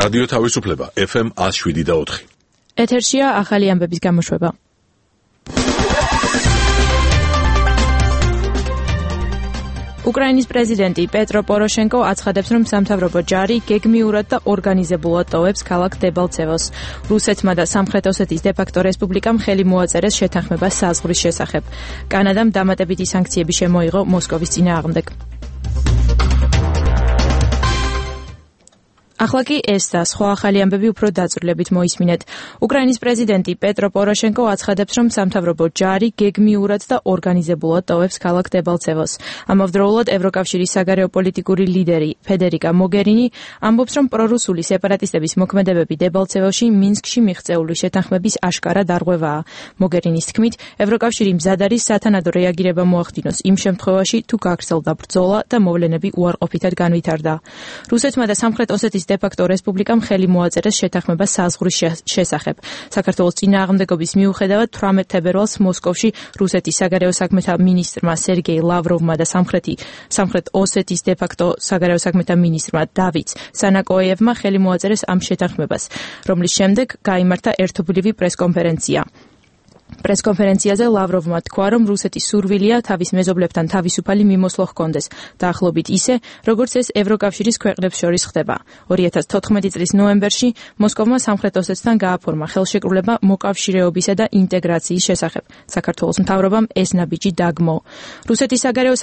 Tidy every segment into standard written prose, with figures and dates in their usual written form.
რადიო თავისუფლება FM 107.4. ეთერშია ახალი ამბების გამოშვება. უკრაინის პრეზიდენტი პეტრო პოროშენკო აცხადებს, რომ სამთავრობო ჯარი გეგმიურად და ორგანიზებულად ტოვებს ქალაქ დებალცევოს. რუსეთმა და სამხრეთ ოსეთის დე-ფაქტო რესპუბლიკამ ხელი მოაწერეს შეთანხმებას საზღვრის შესახებ. კანადამ დამატებითი სანქციები შემოიღო მოსკოვის წინააღმდეგ. ახლა კი ეს და სხვა ახალი ამბები უფრო დაწვრილებით მოისმინეთ. უკრაინის პრეზიდენტი პეტრო პოროშენკო აცხადებს, რომ სამთავრობო ჯარი გეგმიურად და ორგანიზებულად ტოვებს ქალაქ დებალცევოს. ამავდროულად ევროკავშირის საგარეო პოლიტიკური ლიდერი ფედერიკა მოგერინი ამბობს, რომ პრორუსული სეპარატისტების მოქმედებები დებალცევოში მინსკში მიღწეული შეთანხმების აშკარა დარღვევაა. მოგერინის თქმით, ევროკავშირი მზად არის სათანადო რეაგირება მოახდინოს იმ შემთხვევაში, თუ გაგრძელდა ბრძოლა და მოვლენები უარყოფითად განვითარდა. რუსეთმა და სამხრეთ ოსეთის დე-ფაქტო რესპუბლიკამ ხელი მოაწერეს შეთანხმებას საზღვრის შესახებ. საქართველოს წინააღმდეგობის მიუხედავად 18 თებერვალს მოსკოვში რუსეთის საგარეო საქმეთა მინისტრმა სერგეი ლავროვმა და სამხრეთ ოსეთის დე-ფაქტო საგარეო საქმეთა მინისტრმა დავით სანაკოევმა ხელი მოაწერეს ამ შეთანხმებას, რომლის შემდეგ გაიმართა ერთობლივი პრესკონფერენცია. პრესკონფერენციაზე ლავროვმა თქვა, რომ რუსეთის სურვილია თავის მეზობლებთან თავისუფალი მიმოსვლა ჰქონდეს, დაახლოებით ისე, როგორც ეს ევროკავშირის ქვეყნებს შორის ხდება. 2014 წლის ნოემბერში მოსკოვმა სამხრეთ ოსეთთან გააფორმა ხელშეკრულება მოკავშირეობისა და ინტეგრაციის შესახებ. საქართველოს მთავრობამ ეს ნაბიჯი დაგმო. რუსეთის საგარეო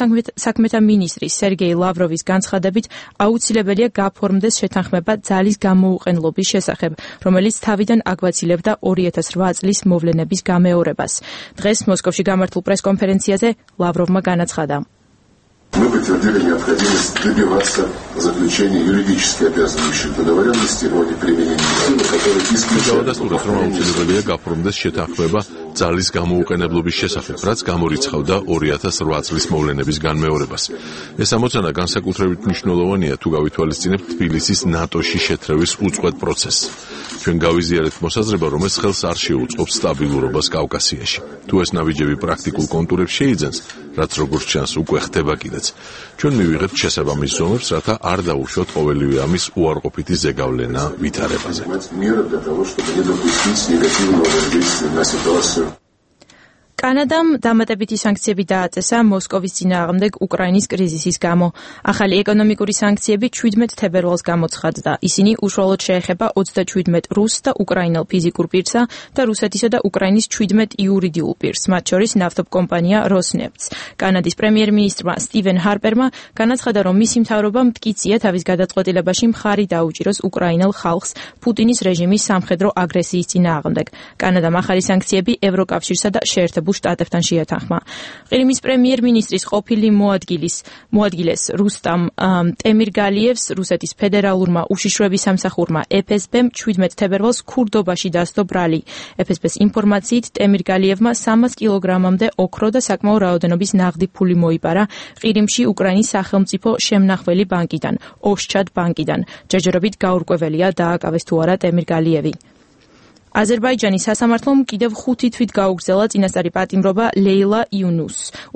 საქმეთა მინისტრის სერგეი ლავროვის განცხადებით, აუცილებელია გაფორმდეს შეთანხმება ძალის გამოუყენლობის შესახებ, რომელიც თავიდან აგვაცილებდა 2008 წლის მოვლენების გამეორებას. დღეს მოსკოვში გამართულ პრესკონფერენციაზე ლავროვმა განაცხადა. Мы подтвердили необходимость добиваться заключения юридически обязывающих договоренностей о неприменении силы, которые исключают აუცილებელია გაფორმდეს შეთანხმება ძალის გამოუყენებლობის შესახებ, რაც გამორიცხავდა 2008 წლის მოვლენების განმეორებას. ეს ამოცანა განსაკუთრებით მნიშვნელოვანია, თუ გავითვალისწინებთ თბილისის ნატოში შეტრევის უწყვეტ პროცესს. ჩვენ გავიზიარეთ მოსაზრება, რომ ეს ხელს არ შეუწყობს სტაბილურობას კავკასიაში. თუ ეს ნაბიჯები პრაქტიკულ კონტურებს შეიძენს, რაც როგორც ჩანს უკვე ხდება კიდეც, ჩვენ მივიღებთ შესაბამის ზომებს, რათა არ დაუშვოთ ყოველივე ამის უარყოფითი ზეგავლენა ვითარებაზე. კანადამ დამატებითი სანქციები დააწესა მოსკოვის წინააღმდეგ უკრაინის კრიზისის გამო. ახალი ეკონომიკური სანქციები 17 თებერვალს გამოცხადდა. ისინი უშუალოდ შეეხება 27 რუს და უკრაინელ ფიზიკურ პირსა და რუსეთისა და უკრაინის 17 იურიდიულ პირს, მათ შორის ნავთობკომპანია როსნეფტს. კანადის პრემიერ-მინისტრმა სტივენ ჰარპერმა განაცხადა, რომ მისი მთავრობა მტკიცია თავის გადაწყვეტილებაში მხარი დაუჭიროს უკრაინელ ხალხს პუტინის რეჟიმის სამხედრო აგრესიის წინააღმდეგ. კანადამ ახალი სანქციები ევროკავშირსა და შეერთებულ შტატებთან შეათანხმა. ყირიმის პრემიერ-მინისტრის ყოფილი მოადგილეს რუსტამ ტემირგალიევს რუსეთის ფედერალურმა უშიშროების სამსახურმა FSB-მ 17 თებერვალს ქურდობაში დასდო ბრალი. FSB-ს ინფორმაციით ტემირგალიევმა 300 კილოგრამამდე ოქრო და საკმაო რაოდენობის ნაღდი ფული მოიპარა ყირიმში უკრაინის სახელმწიფო შემნახველი ბანკიდან, ოსჩად ბანკიდან. ჯერჯერობით გაურკვეველია დააკავეს თუ არა ტემირგალიევი. აზერბაიჯანის სასამართლომ კიდევ 5 თვით გაუგრძელა წინასწარი პატიმრობა ლეილა იუნუსს,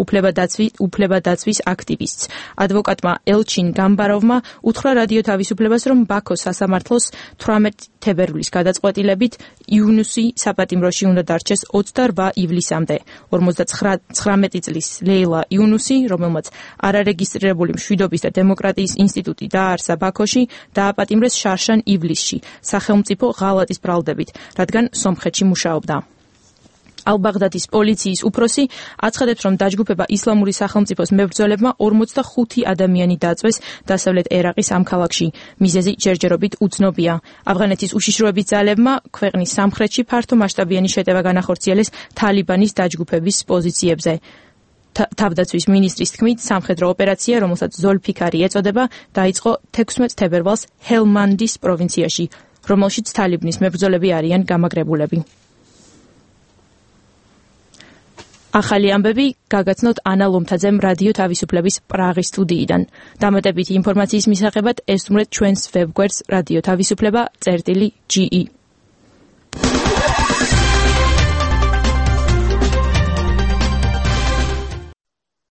უფლებადაცვის აქტივისტს. ადვოკატმა ელჩინ გამბაროვმა უთხრა რადიო თავისუფლებას, რომ ბაქოს სასამართლოს 18 თებერვლის გადაწყვეტილებით იუნუსი საპატიმროში უნდა დარჩეს 28 ივლისამდე. 59 წლის ლეილა იუნუსი, რომელმაც არარეგისტრირებული მშვიდობის და დემოკრატიის ინსტიტუტი დააარსა ბაქოში, დააპატიმრეს შარშან ივლისში, სახელმწიფო ღალატის ბრალდებით, რადგან სომხეთში მუშაობდა. ალ-ბაღდადის პოლიციის უფროსი აცხადებს, რომ დაჯგუფება ისლამური სახელმწიფოს მებრძოლებმა 45 ადამიანი დაწვეს დასავლეთ ერაყის ამ ქალაქში. მიზეზი ჯერჯერობით უცნობია. ავღანეთის უშიშროების ძალებმა ქვეყნის სამხრეთში ფართო მასშტაბიანი შეტევა განახორციელეს თალიბანის დაჯგუფების პოზიციებზე. თავდაცვის მინისტრის თქმით, სამხედრო ოპერაცია, რომელსაც ზოლფიქარი ეწოდება, დაიწყო 16 თებერვალს ჰელმანდის პროვინციაში, რომელშიც თალიბნის მებრძოლები არიან გამაგრებულები. ახალი ამბები გაგაცნოთ ანა ლომთაძემ რადიო თავისუფლების პრაღის სტუდიიდან. დამატებითი ინფორმაციის მისაღებად ესტუმრეთ ჩვენს ვებგვერდს რადიო თავისუფლება.ge.